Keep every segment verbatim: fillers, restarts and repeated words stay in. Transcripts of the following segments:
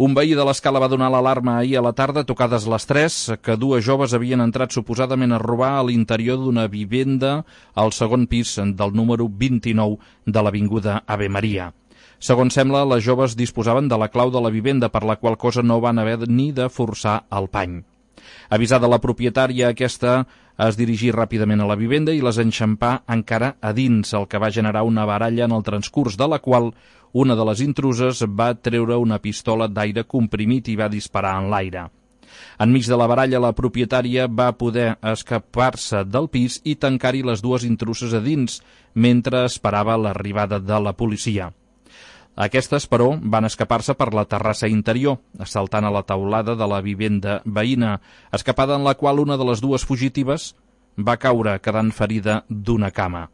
Un veí de l'Escala va donar l'alarma ahir a la tarda, tocades les tres, que dues joves havien entrat suposadament a robar a l'interior d'una vivenda al segon pis del número vint-i-nou de l'avinguda Ave Maria. Segons sembla, les joves disposaven de la clau de la vivenda, per la qual cosa no van haver ni de forçar el pany. Avisada la propietària, aquesta es dirigí ràpidament a la vivenda i les enxampà encara a dins, el que va generar una baralla en el transcurs de la qual una de les intruses va treure una pistola d'aire comprimit i va disparar en l'aire. Enmig de la baralla, la propietària va poder escapar-se del pis i tancar-hi les dues intruses a dins, mentre esperava l'arribada de la policia. Aquestes, però, van escapar-se per la terrassa interior, saltant a la teulada de la vivenda veïna, escapada en la qual una de les dues fugitives va caure quedant ferida d'una cama.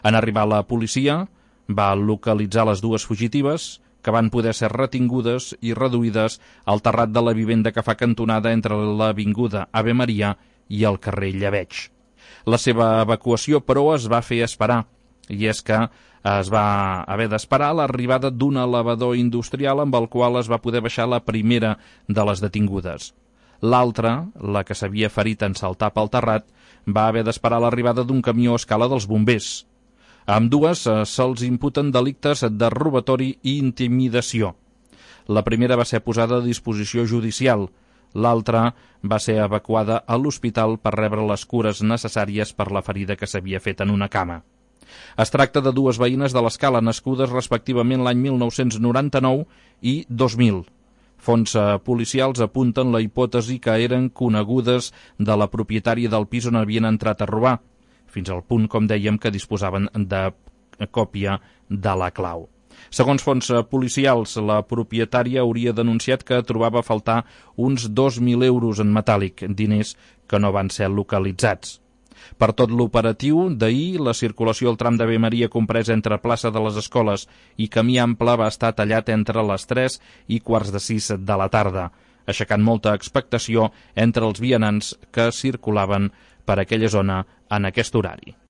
En arribar la policia, va localitzar les dues fugitives, que van poder ser retingudes i reduïdes al terrat de la vivenda que fa cantonada entre l'avinguda Ave Maria i el carrer Llebeig. La seva evacuació, però, es va fer esperar, i és que es va haver d'esperar l'arribada d'un elevador industrial amb el qual es va poder baixar la primera de les detingudes. L'altra, la que s'havia ferit en saltar pel terrat, va haver d'esperar l'arribada d'un camió a escala dels bombers. A ambdues eh, se'ls imputen delictes de robatori i intimidació. La primera va ser posada a disposició judicial, l'altra va ser evacuada a l'hospital per rebre les cures necessàries per la ferida que s'havia fet en una cama. Es tracta de dues veïnes de l'Escala, nascudes respectivament l'any mil nou-cents noranta-nou i dos mil. Fonts policials apunten la hipòtesi que eren conegudes de la propietària del pis on havien entrat a robar, fins al punt, com dèiem, que disposaven de còpia de la clau. Segons fonts policials, la propietària hauria denunciat que trobava a faltar uns dos mil euros en metàl·lic, diners que no van ser localitzats. Per tot l'operatiu d'ahir, la circulació al tram d'Ave Maria comprès entre plaça de les Escoles i Camí Ample va estar tallat entre les tres i quarts de sis de la tarda, aixecant molta expectació entre els vianants que circulaven per aquella zona en aquest horari.